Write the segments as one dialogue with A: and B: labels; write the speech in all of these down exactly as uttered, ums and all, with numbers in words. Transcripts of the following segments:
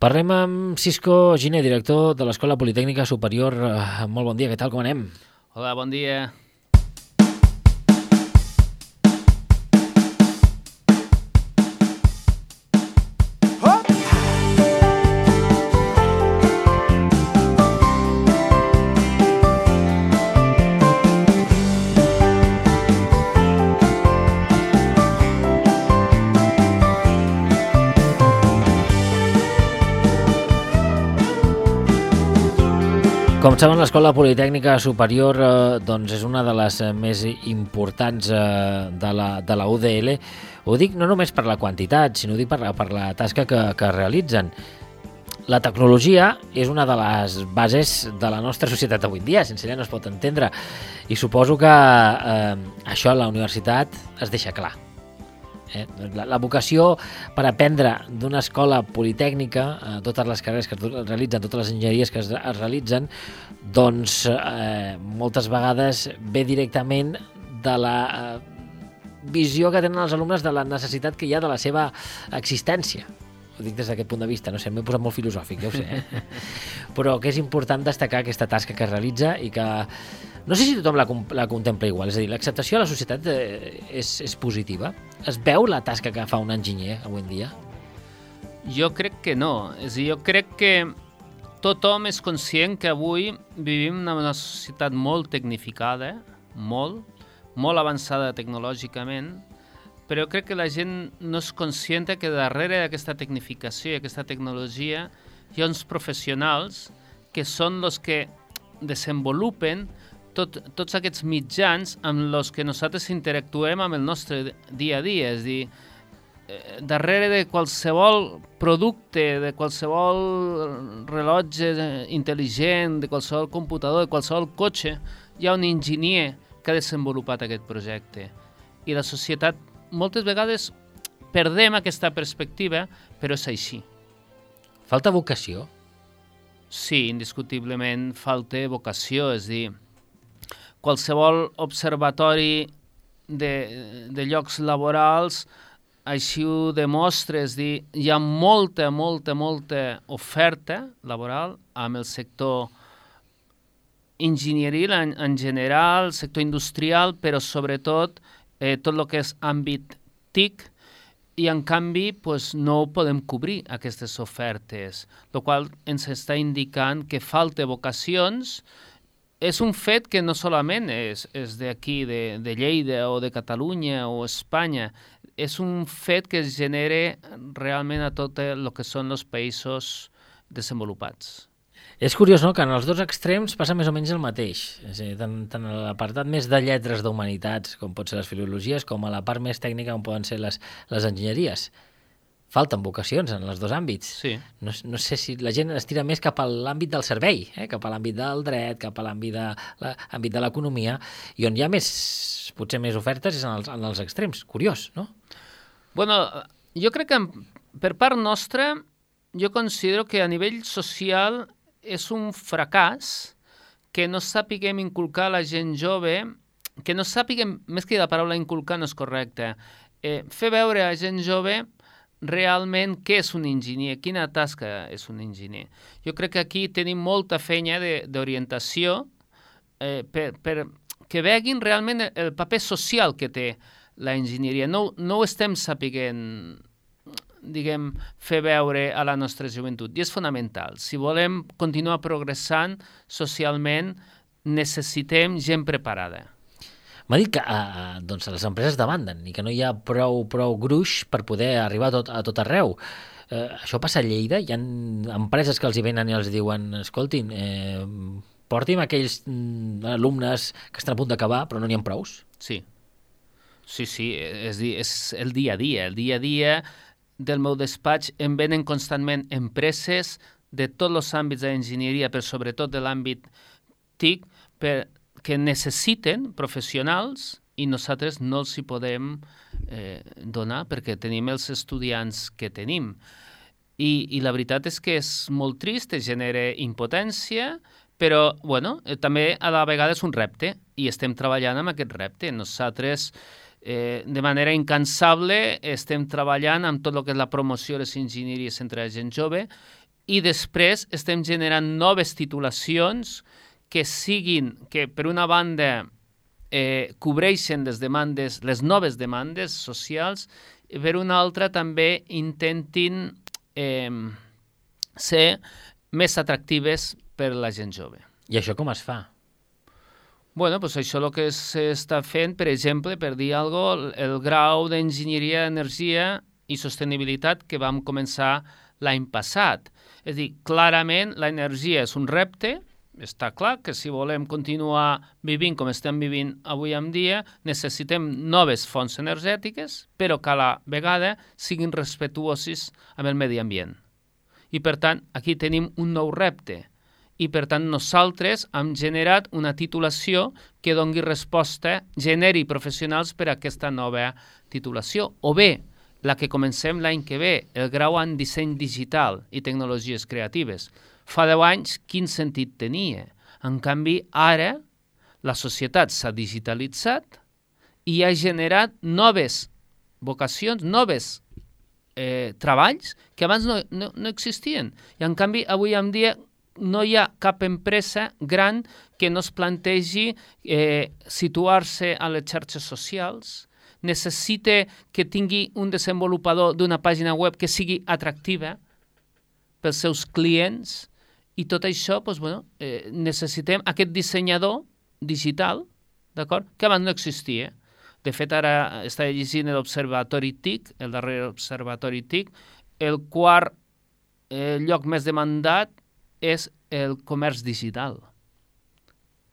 A: Parlem amb Cisco Giner, director de l'Escola Politècnica Superior. Molt bon dia, què tal, com anem?
B: Hola, bon dia.
A: Com saben, l'Escola Politècnica Superior eh, doncs és una de les més importants eh, de, la, de la U D L. Ho dic no només per la quantitat, sinó dic per la, per la tasca que, que realitzen. La tecnologia és una de les bases de la nostra societat avui en dia, sense ella no es pot entendre. I suposo que eh, això a la universitat es deixa clar. Eh? La, la vocació per aprendre d'una escola politècnica, eh, totes les carreres que es realitzen, totes les enginyeries que es, es realitzen, doncs eh, moltes vegades ve directament de la eh, visió que tenen els alumnes de la necessitat que hi ha de la seva existència. Ho dic des d'aquest punt de vista, no sé, m'he posat molt filosòfic, ja ho sé, eh? Però que és important destacar aquesta tasca que es realitza i que no sé si tothom la, la contempla igual, és a dir, l'acceptació a la societat eh, és, és positiva. Es veu la tasca que fa un enginyer avui en dia?
B: Jo crec que no, és a dir, jo crec que tothom és conscient que avui vivim en una societat molt tecnificada, molt, molt avançada tecnològicament, però jo crec que la gent no és conscient que darrere d'aquesta tecnificació i aquesta tecnologia hi ha uns professionals que són els que desenvolupen tot, tots aquests mitjans amb els que nosaltres interactuem amb el nostre dia a dia. És a dir, eh, darrere de qualsevol producte, de qualsevol rellotge intel·ligent, de qualsevol computador, de qualsevol cotxe, hi ha un enginyer que ha desenvolupat aquest projecte. I la societat moltes vegades perdem aquesta perspectiva, però és així.
A: Falta vocació?
B: Sí, indiscutiblement falta vocació, és a dir, qualsevol observatori de, de llocs laborals així ho demostra, és a dir, hi ha molta, molta, molta oferta laboral amb el sector enginyeril en, en general, sector industrial, però sobretot Eh, tot el que és àmbit T I C, i en canvi pues, no podem cobrir aquestes ofertes, el qual ens està indicant que falta vocacions. És un fet que no solament és, és d'aquí, de, de Lleida o de Catalunya o Espanya, és un fet que es genera realment a tot el que són els països desenvolupats.
A: És curiós, no?, que en els dos extrems passa més o menys el mateix. És a dir, tant, tant a l'apartat més de lletres d'humanitats, com pot ser les filologies, com a la part més tècnica, com poden ser les, les enginyeries. Falten vocacions en els dos àmbits.
B: Sí.
A: No, no sé si la gent es tira més cap a l'àmbit del servei, eh? Cap a l'àmbit del dret, cap a l'àmbit de, l'àmbit de l'economia, i on hi ha més, potser més ofertes és en els, en els extrems. Curiós, no?
B: Bueno, jo crec que per part nostra, jo considero que a nivell social és un fracàs que no sàpiguem inculcar a la gent jove, que no sàpiguem, més que la paraula inculcar no és correcta, eh, fer veure a la gent jove realment què és un enginyer, quina tasca és un enginyer. Jo crec que aquí tenim molta feina d'orientació eh, per, per que veguin realment el paper social que té la enginyeria. No, no ho estem sapiguent, diguem, fer veure a la nostra joventut. I és fonamental. Si volem continuar progressant socialment, necessitem gent preparada.
A: M'ha dit que eh, doncs les empreses demanden i que no hi ha prou, prou gruix per poder arribar a tot, a tot arreu. Eh, això passa a Lleida? Hi ha empreses que els hi venen i els diuen escoltin, eh, porti'm aquells mm, alumnes que estan a punt d'acabar però no n'hi ha prous?
B: Sí. Sí, sí. És, és el dia a dia. El dia a dia del meu despatx em venen constantment empreses de tots els àmbits d'enginyeria, però sobretot de l'àmbit T I C, per, que necessiten professionals i nosaltres no els hi podem eh, donar perquè tenim els estudiants que tenim. I, I la veritat és que és molt trist, genera impotència, però bueno, eh, també a la vegada és un repte i estem treballant amb aquest repte. Nosaltres Eh, de manera incansable estem treballant amb tot el que és la promoció de les enginyeries entre la gent jove i després estem generant noves titulacions que siguin, que per una banda eh, cobreixen les demandes, les noves demandes socials, i per una altra també intentin eh, ser més atractives per a la gent jove.
A: I això com es fa?
B: Bueno, pues això el que s'està fent, per exemple, per dir alguna cosa, el grau d'enginyeria d'energia i sostenibilitat que vam començar l'any passat. És a dir, clarament l'energia és un repte, està clar que si volem continuar vivint com estem vivint avui en dia, necessitem noves fonts energètiques, però que a la vegada siguin respectuosis amb el medi ambient. I per tant, aquí tenim un nou repte. I per tant, nosaltres hem generat una titulació que doni resposta, generi professionals per a aquesta nova titulació. O bé, la que comencem l'any que ve, el grau en disseny digital i tecnologies creatives. Fa deu anys, quin sentit tenia? En canvi, ara la societat s'ha digitalitzat i ha generat noves vocacions, noves eh, treballs que abans no, no, no existien. I en canvi, avui en dia no hi ha cap empresa gran que no es plantegi eh, situar-se a les xarxes socials, necessita que tingui un desenvolupador d'una pàgina web que sigui atractiva pels seus clients, i tot això, doncs, bueno, eh, necessitem aquest dissenyador digital, d'acord, que abans no existia. De fet, ara està llegint l'Observatori T I C, el darrer Observatori T I C, el quart eh, lloc més demandat és el comerç digital.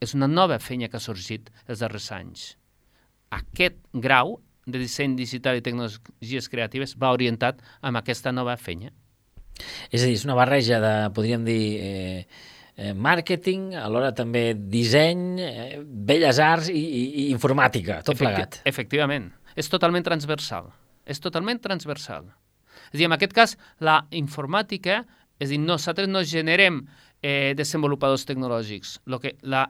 B: És una nova feina que ha sorgit els darrers anys. Aquest grau de disseny digital i tecnologies creatives va orientat amb aquesta nova feina.
A: És a dir, és una barreja de, podríem dir, eh, eh, màrqueting, alhora també disseny, eh, belles arts i, i, i informàtica, tot
B: Efecti
A: plegat.
B: Efectivament. És totalment transversal. És totalment transversal. És a dir, en aquest cas, la informàtica, és a dir, nosaltres no generem eh, desenvolupadors tecnològics. Lo que la,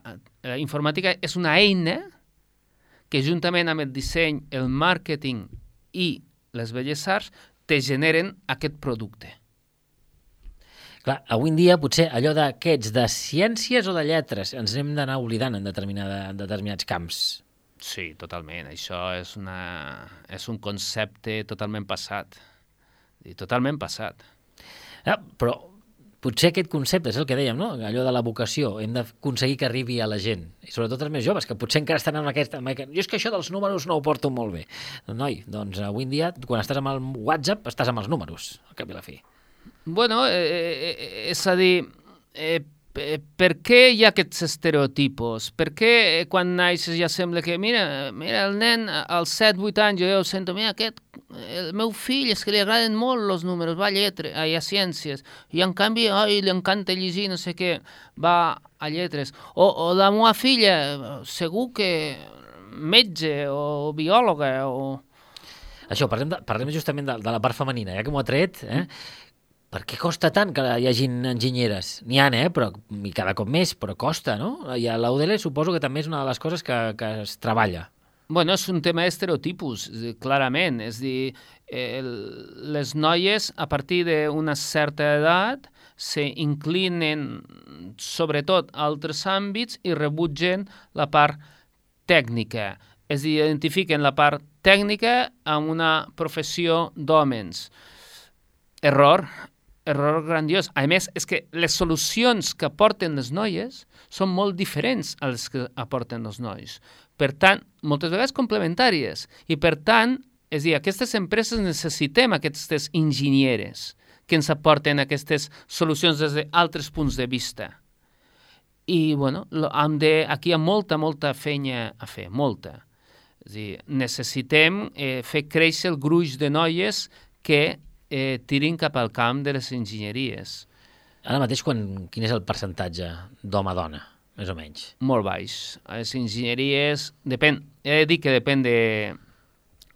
B: la informàtica és una eina que juntament amb el disseny, el màrqueting i les belles arts te generen aquest producte.
A: Clar, avui en dia potser allò de què ets, de ciències o de lletres, ens n'hem d'anar oblidant en, determinada, en determinats camps.
B: Sí, totalment. Això és, una, és un concepte totalment passat. I totalment passat.
A: Ah, però potser aquest concepte és el que dèiem, no? Allò de la vocació. Hem d'aconseguir que arribi a la gent. I sobretot els més joves, que potser encara estan en aquesta... Jo és que això dels números no ho porto molt bé. Noi, doncs avui en dia, quan estàs amb el WhatsApp, estàs amb els números, al cap i la fi.
B: Bueno, eh, eh, és a dir, eh, per què hi ha aquests estereotipos? Per què quan naixes ja sembla que, mira, mira el nen als set vuit anys, jo ja ho sento, mira, aquest, el meu fill és que li agraden molt els números, va a lletres, ai, a ciències, i en canvi, ai, li encanta llegir, no sé què, va a lletres. O, o la meva filla, segur que metge o biòloga o...
A: Això, parlem, de, parlem justament de, de la part femenina, ja que m'ho ha tret, eh? Per què costa tant que hi hagin enginyeres? N'hi ha, eh? Però, i cada cop més, però costa, no? I a l'A U D L suposo que també és una de les coses que, que es treballa.
B: Bueno, és un tema d'estereotipus, clarament. És a dir, eh, les noies, a partir d'una certa edat, s'inclinen sobretot a altres àmbits i rebutgen la part tècnica. És a dir, identifiquen la part tècnica amb una professió d'hòmens. Error. Error grandiós. A més, és que les solucions que aporten les noies són molt diferents a les que aporten els nois. Per tant, moltes vegades complementàries. I per tant, és a dir, aquestes empreses necessitem aquestes enginyeres que ens aporten aquestes solucions des d'altres punts de vista. I, bueno, hem de, aquí hi ha molta, molta feina a fer, molta. És a dir, necessitem eh, fer créixer el gruix de noies que Eh, tirin cap al camp de les enginyeries.
A: Ara mateix, quan, quin és el percentatge d'home-dona, més o menys?
B: Molt baix. Les enginyeries, depèn, he de dir que depèn de,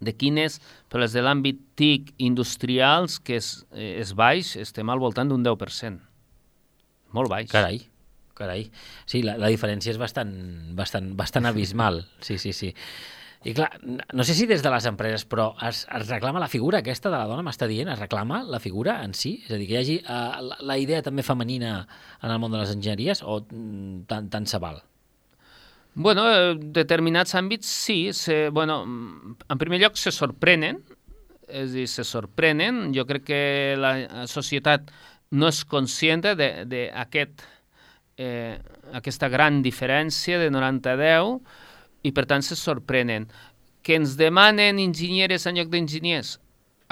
B: de quines, però les de l'àmbit T I C industrials, que és, és baix, estem al voltant d'un deu per cent. Molt baix.
A: Carai, carai. Sí, la, la diferència és bastant, bastant, bastant abismal. Sí, sí, sí. I clar, no sé si des de les empreses, però es, es reclama la figura aquesta de la dona, m'està dient, es reclama la figura en si? És a dir, que hi hagi uh, la, la idea també femenina en el món de les enginyeries o mm, tant, tant se val?
B: Bueno, determinats àmbits sí. Se, bueno, en primer lloc se sorprenen, és a dir, se sorprenen. Jo crec que la societat no és conscient d'aquest eh, aquesta gran diferència de noranta a deu i per tant se sorprenen. Que ens demanen enginyeres en lloc d'enginyers?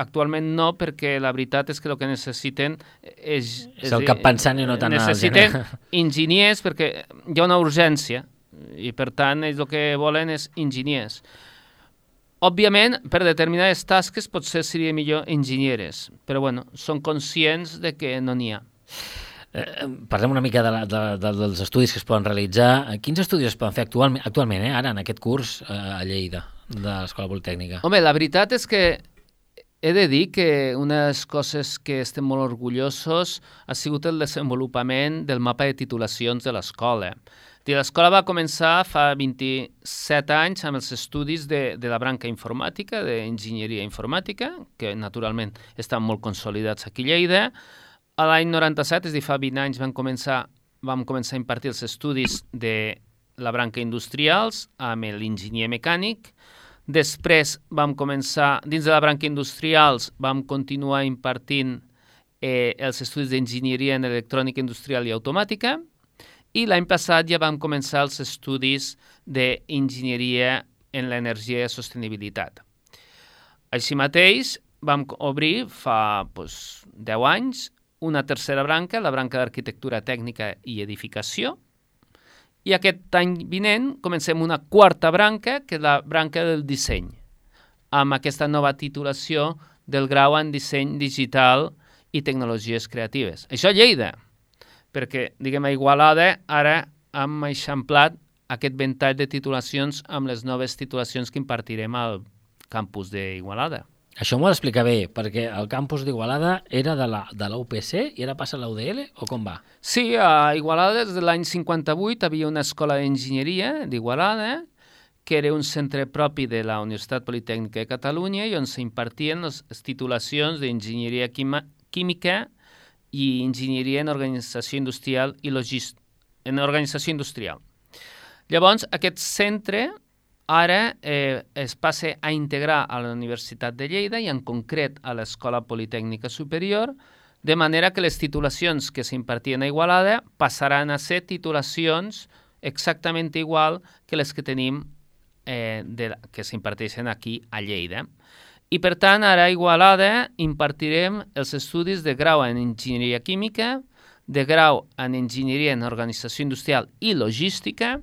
B: Actualment no, perquè la veritat és que el que necessiten és...
A: És el cap pensant i no tant el
B: necessiten enginyers perquè hi ha una urgència i per tant ells el que volen és enginyers. Òbviament, per determinades tasques potser seria millor enginyeres, però bueno, són conscients de que no n'hi ha.
A: Eh, parlem una mica de la, de, de, dels estudis que es poden realitzar. Quins estudis es poden fer actualment, actualment eh, ara, en aquest curs eh, a Lleida, de l'Escola Politècnica?
B: Home, la veritat és que he de dir que una de les coses que estem molt orgullosos ha sigut el desenvolupament del mapa de titulacions de l'escola. L'escola va començar fa vint-i-set anys amb els estudis de, de la branca informàtica, d'enginyeria informàtica, que naturalment estan molt consolidats aquí a Lleida. A l'any noranta-set, és a dir, fa vint anys, vam començar, vam començar a impartir els estudis de la branca industrials amb l'enginyer mecànic. Després vam començar, dins de la branca industrials, vam continuar impartint eh, els estudis d'enginyeria en electrònica industrial i automàtica. I l'any passat ja vam començar els estudis d'enginyeria en l'energia i sostenibilitat. Així mateix, vam obrir fa doncs, deu anys una tercera branca, la branca d'arquitectura tècnica i edificació, i aquest any vinent comencem una quarta branca, que és la branca del disseny, amb aquesta nova titulació del grau en disseny digital i tecnologies creatives. Això a Lleida, perquè, diguem, a Igualada ara hem eixamplat aquest ventall de titulacions amb les noves titulacions que impartirem al campus d'Igualada.
A: Això m'ho ha d'explicar bé, perquè el campus d'Igualada era de la, de la U P C i ara passa a la U D L, o com va?
B: Sí, a Igualada des de l'any cinquanta-vuit havia una escola d'enginyeria d'Igualada, que era un centre propi de la Universitat Politècnica de Catalunya i on s'impartien les titulacions d'enginyeria química i enginyeria en organització industrial i logística, en organització industrial. Llavors, aquest centre ara eh, es passa a integrar a la Universitat de Lleida i en concret a l'Escola Politècnica Superior, de manera que les titulacions que s'impartien a Igualada passaran a ser titulacions exactament igual que les que tenim eh, de, que s'imparteixen aquí a Lleida. I, per tant, ara a Igualada impartirem els estudis de grau en enginyeria química, de grau en enginyeria en organització industrial i logística,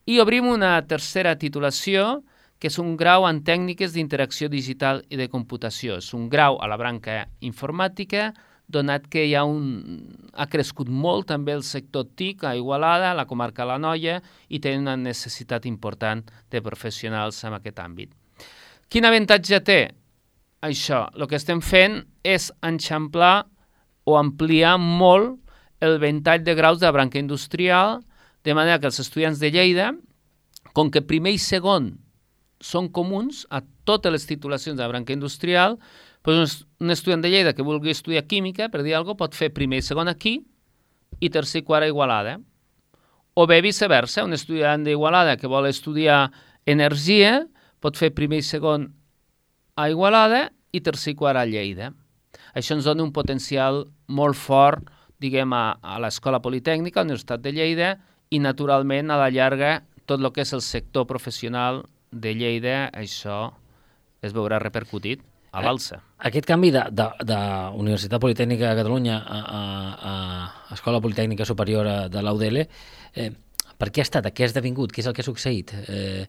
B: i obrim una tercera titulació, que és un grau en tècniques d'interacció digital i de computació. És un grau a la branca informàtica, donat que hi ha, un, ha crescut molt també el sector T I C a Igualada, a la comarca de l'Anoia, i té una necessitat important de professionals en aquest àmbit. Quin avantatge té això? El que estem fent és enxamplar o ampliar molt el ventall de graus de la branca industrial, de manera que els estudiants de Lleida, com que primer i segon són comuns a totes les titulacions de la branca industrial, doncs un estudiant de Lleida que vulgui estudiar química, per dir alguna cosa, pot fer primer i segon aquí i tercer i quart a Igualada. O bé viceversa, un estudiant d'Igualada que vol estudiar energia pot fer primer i segon a Igualada i tercer i quart a Lleida. Això ens dona un potencial molt fort, diguem, a, a l'Escola Politècnica, a la Universitat de Lleida, i naturalment a la llarga tot el que és el sector professional de Lleida, això es veurà repercutit a l'alça.
A: Aquest canvi de, de, de Universitat Politècnica de Catalunya a, a, a Escola Politècnica Superior de l'U D L, eh, per què ha estat? Què ha esdevingut? Què és el que ha succeït? Eh,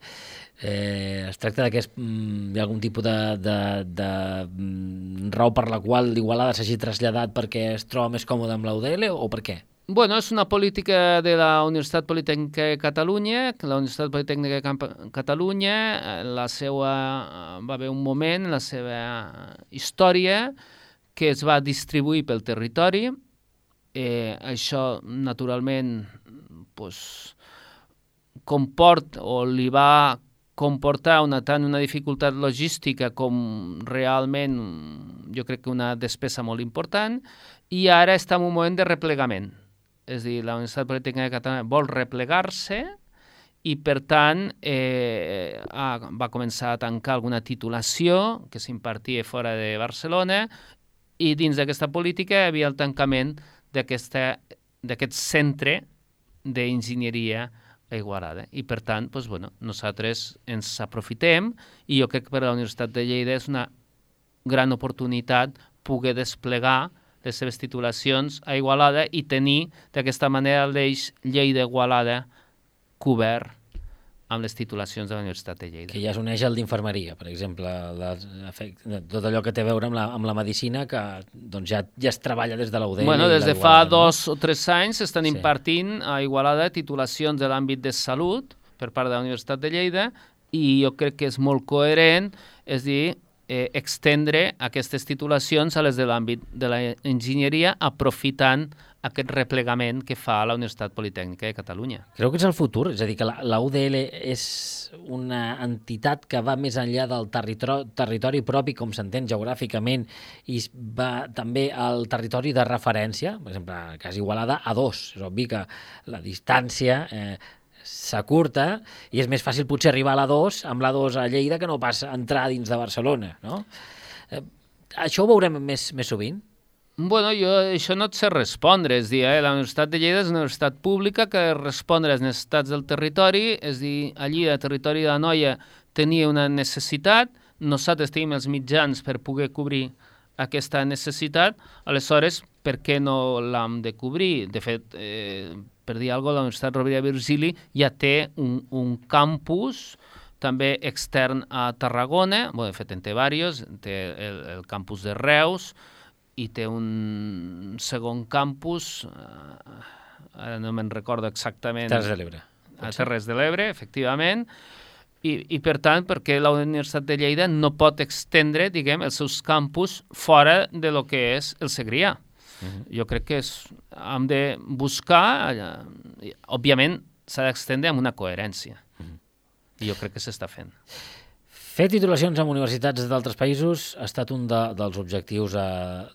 A: eh, es tracta de que és, mm, hi ha algun tipus de, de, de mm, raó per la qual l'Igualada s'hagi traslladat perquè es troba més còmode amb l'U D L o per què?
B: Bueno, és una política de la Universitat Politècnica de Catalunya. La Universitat Politècnica de Catalunya, la seva, va haver un moment, la seva història, que es va distribuir pel territori. Eh, això, naturalment, pues, comport o li va comportar una, tant una dificultat logística com realment jo crec que una despesa molt important, i ara està en un moment de replegament. És a dir, la Universitat Politècnica de Catalunya vol replegar-se i, per tant, eh, va començar a tancar alguna titulació que s'impartia fora de Barcelona, i dins d'aquesta política hi havia el tancament d'aquest centre d'enginyeria a Igualada. I, per tant, doncs, bueno, nosaltres ens aprofitem, i jo crec que per a la Universitat de Lleida és una gran oportunitat poder desplegar les seves titulacions a Igualada i tenir d'aquesta manera l'eix Lleida-Igualada cobert amb les titulacions de la Universitat de Lleida.
A: Que ja s'uneix al d'infermeria, per exemple, tot allò que té a veure amb la, amb la medicina, que doncs, ja, ja es treballa des de la U D L.
B: Bueno, des de fa dos o tres anys s'estan sí. impartint a Igualada titulacions de l'àmbit de salut per part de la Universitat de Lleida, i jo crec que és molt coherent, és dir, eh, extendre aquestes titulacions a les de l'àmbit de l'enginyeria, aprofitant aquest replegament que fa la Universitat Politècnica de Catalunya.
A: Creu que és el futur? És a dir, que la, la U D L és una entitat que va més enllà del territori, territori propi, com s'entén geogràficament, i va també al territori de referència, per exemple, en el cas Igualada, a dos. És obvi que la distància eh, s'acurta i és més fàcil potser arribar a la dos amb la dos a Lleida que no pas entrar dins de Barcelona, no? Eh, això ho veurem més, més sovint?
B: Bueno, jo això no et sé respondre, és dir, eh, la Universitat de Lleida és una universitat pública que respon a les necessitats del territori, és dir, allí al territori de l'Anoia tenia una necessitat, nosaltres tenim els mitjans per poder cobrir aquesta necessitat, aleshores, per què no l'hem de cobrir? De fet, eh, per dir alguna cosa, la Universitat Rovira i Virgili ja té un, un campus també extern a Tarragona, bueno, de fet en té diversos, té el, el campus de Reus, i té un segon campus, eh, ara no me'n recordo exactament...
A: Terres de l'Ebre.
B: A Terres de l'Ebre, efectivament, i, i per tant, perquè la Universitat de Lleida no pot extendre, diguem, els seus campus fora de lo que és el Segrià. Uh-huh. Jo crec que és, hem de buscar, eh, òbviament s'ha d'extendre amb una coherència, uh-huh. i jo crec que s'està fent.
A: Fer titulacions en universitats d'altres països ha estat un de, dels objectius a,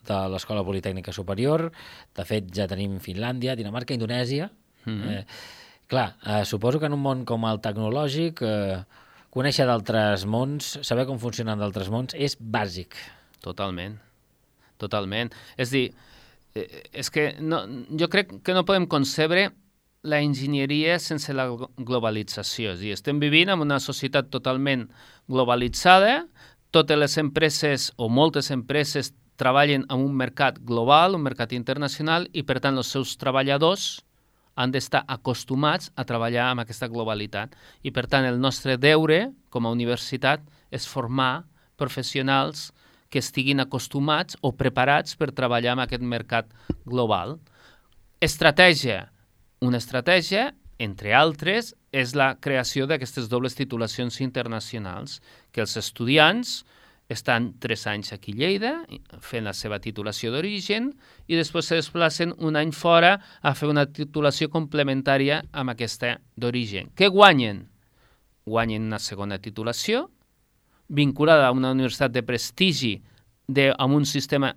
A: de l'Escola Politècnica Superior. De fet, ja tenim Finlàndia, Dinamarca, Indonèsia. Mm-hmm. Eh, clar, eh, suposo que en un món com el tecnològic, eh, conèixer d'altres mons, saber com funcionen d'altres mons, és bàsic.
B: Totalment, totalment. És dir, eh, és que no, jo crec que no podem concebre la enginyeria sense la globalització. És a dir, estem vivint en una societat totalment globalitzada, totes les empreses o moltes empreses treballen en un mercat global, un mercat internacional, i per tant els seus treballadors han d'estar acostumats a treballar amb aquesta globalitat. I per tant el nostre deure com a universitat és formar professionals que estiguin acostumats o preparats per treballar en aquest mercat global. Estratègia. Una estratègia, entre altres, és la creació d'aquestes dobles titulacions internacionals, que els estudiants estan tres anys aquí a Lleida, fent la seva titulació d'origen, i després se desplacen un any fora a fer una titulació complementària amb aquesta d'origen. Què guanyen? Guanyen una segona titulació, vinculada a una universitat de prestigi, de, amb un sistema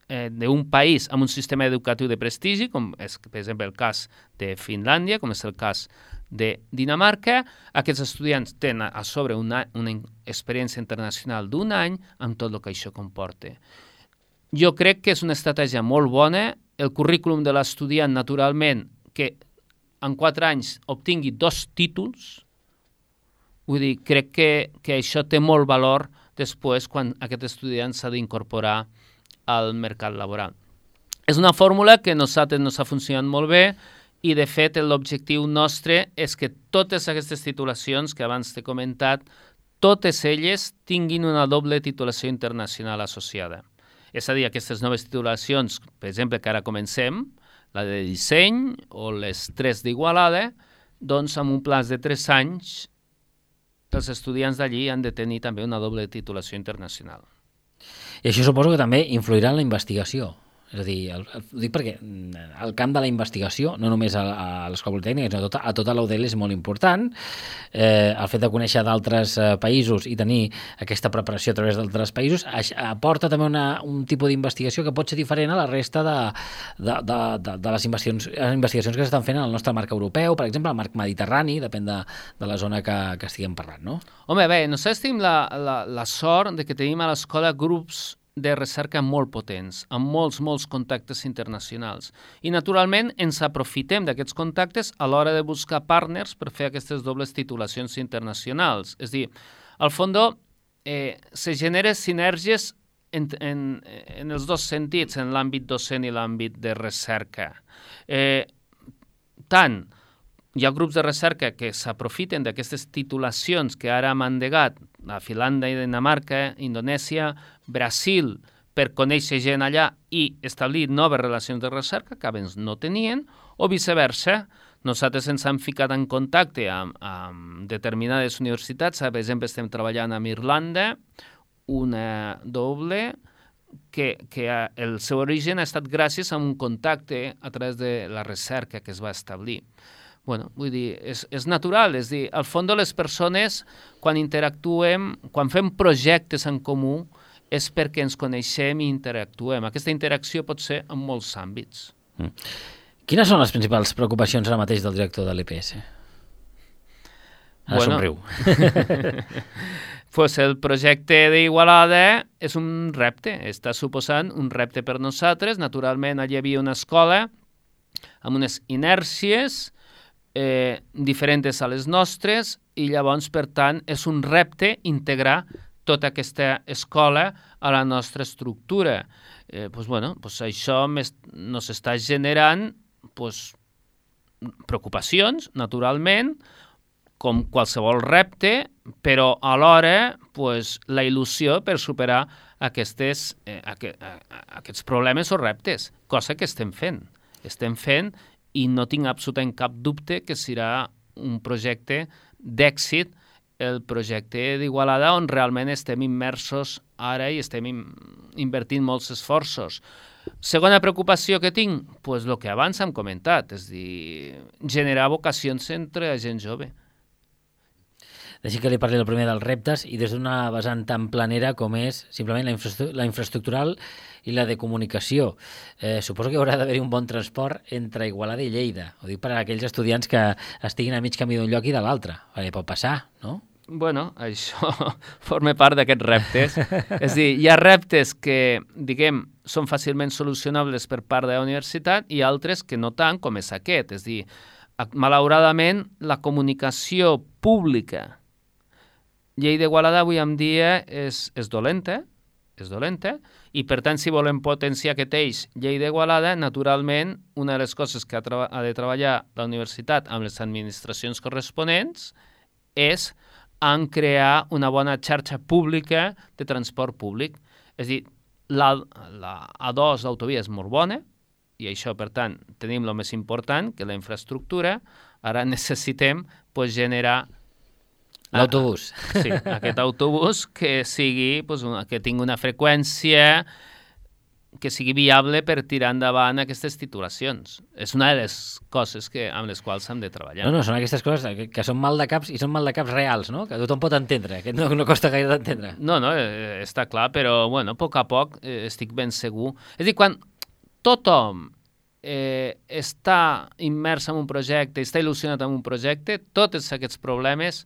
B: Eh, d'un país amb un sistema educatiu de prestigi, com és, per exemple, el cas de Finlàndia, com és el cas de Dinamarca. Aquests estudiants tenen a sobre una, una experiència internacional d'un any amb tot el que això comporta. Jo crec que és una estratègia molt bona. El currículum de l'estudiant, naturalment, que en quatre anys obtingui dos títols, vull dir, crec que, que això té molt valor després quan aquest estudiant s'ha d'incorporar al mercat laboral. És una fórmula que a nosaltres nos ha funcionat molt bé i, de fet, l'objectiu nostre és que totes aquestes titulacions que abans t'he comentat, totes elles tinguin una doble titulació internacional associada. És a dir, aquestes noves titulacions, per exemple, que ara comencem, la de disseny o les tres d'Igualada, doncs amb un plaç de tres anys els estudiants d'allí han de tenir també una doble titulació internacional.
A: I això suposo que també influirà en la investigació. És a dir, el, el, ho dic perquè el camp de la investigació, no només a, a l'Escola Politècnica, sinó a tota, a tota la U D L és molt important. Eh, el fet de conèixer d'altres eh, països i tenir aquesta preparació a través d'altres països aporta també una, un tipus d'investigació que pot ser diferent a la resta de, de, de, de, de les investigacions, investigacions que s'estan fent en el nostre marc europeu, per exemple, el marc mediterrani, depèn de, de la zona que, que estiguem parlant, no?
B: Home, bé, nosaltres tenim la, la, la sort de que tenim a l'escola grups de recerca molt potents, amb molts, molts contactes internacionals. I, naturalment, ens aprofitem d'aquests contactes a l'hora de buscar partners per fer aquestes dobles titulacions internacionals. És a dir, al fons, eh, se generen sinergies en, en, en els dos sentits, en l'àmbit docent i l'àmbit de recerca. Eh, tant hi ha grups de recerca que s'aprofiten d'aquestes titulacions que ara hem endegat a Finlàndia, Dinamarca, Indonèsia, Brasil, per conèixer gent allà i establir noves relacions de recerca que abans no tenien, o viceversa. Nosaltres ens hem ficat en contacte amb, amb determinades universitats. Per exemple, estem treballant amb Irlanda, una doble, que, que el seu origen ha estat gràcies a un contacte a través de la recerca que es va establir. Bueno, vull dir, és, és natural, és dir, al fons les persones, quan interactuem, quan fem projectes en comú, és perquè ens coneixem i interactuem. Aquesta interacció pot ser en molts àmbits.
A: Mm. Quines són les principals preocupacions ara mateix del director de l'E P S? Ara bueno. somriu.
B: Pues el projecte d'Igualada és un repte, està suposant un repte per nosaltres. Naturalment, allà hi havia una escola amb unes inèrcies Eh, diferents a les nostres i llavors, per tant, és un repte integrar tota aquesta escola a la nostra estructura. Eh, pues, bueno, pues això nos està generant pues, preocupacions, naturalment, com qualsevol repte, però alhora pues, la il·lusió per superar aquestes, eh, aqu aquests problemes o reptes, cosa que estem fent. Estem fent i no tinc absolutament cap dubte que serà un projecte d'èxit, el projecte d'Igualada, on realment estem immersos ara i estem invertint molts esforços. Segona preocupació que tinc, pues el que abans hem comentat, és dir, generar vocacions entre la gent jove.
A: Deixi que li parli el primer dels reptes i des d'una vessant tan planera com és simplement la, infraestru la infraestructural i la de comunicació. Eh, suposo que haurà d'haver-hi un bon transport entre Igualada i Lleida. Ho dic per a aquells estudiants que estiguin a mig camí d'un lloc i de l'altre. Perquè pot passar, no?
B: Bueno, això forma part d'aquests reptes. És a dir, hi ha reptes que, diguem, són fàcilment solucionables per part de la universitat i altres que no tant, com és aquest. És a dir, malauradament, la comunicació pública Lleida-Igualada avui en dia és, és dolenta, és dolenta, i per tant, si volem potenciar aquest eix Lleida-Igualada, naturalment, una de les coses que ha, ha de treballar la universitat amb les administracions corresponents és en crear una bona xarxa pública de transport públic. És a dir, la, la A dos d'autovia és molt bona, i això, per tant, tenim el més important, que la infraestructura. Ara necessitem pues, generar
A: l'autobús.
B: Sí, aquest autobús que sigui, pues, una, que tingui una freqüència que sigui viable per tirar endavant aquestes titulacions. És una de les coses que, amb les quals hem de treballar.
A: No, no, són aquestes coses que, que són mal de caps i són mal de caps reals, no? Que tothom pot entendre, que no, no costa gaire d'entendre.
B: No, no, eh, està clar, però, bueno, a poc a poc eh, estic ben segur. És a dir, quan tothom eh, està immers en un projecte, està il·lusionat en un projecte, tots aquests problemes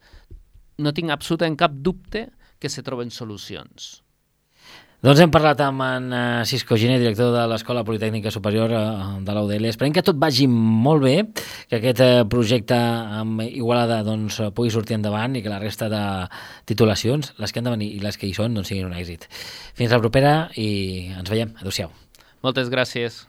B: no tinc absolutament cap dubte que se troben solucions.
A: Doncs hem parlat amb en Cisco Giner, director de l'Escola Politècnica Superior de l'U D L. Esperem que tot vagi molt bé, que aquest projecte amb Igualada doncs, pugui sortir endavant i que la resta de titulacions, les que han de venir i les que hi són, doncs siguin un èxit. Fins la propera i ens veiem. Adéu-siau.
B: Moltes gràcies.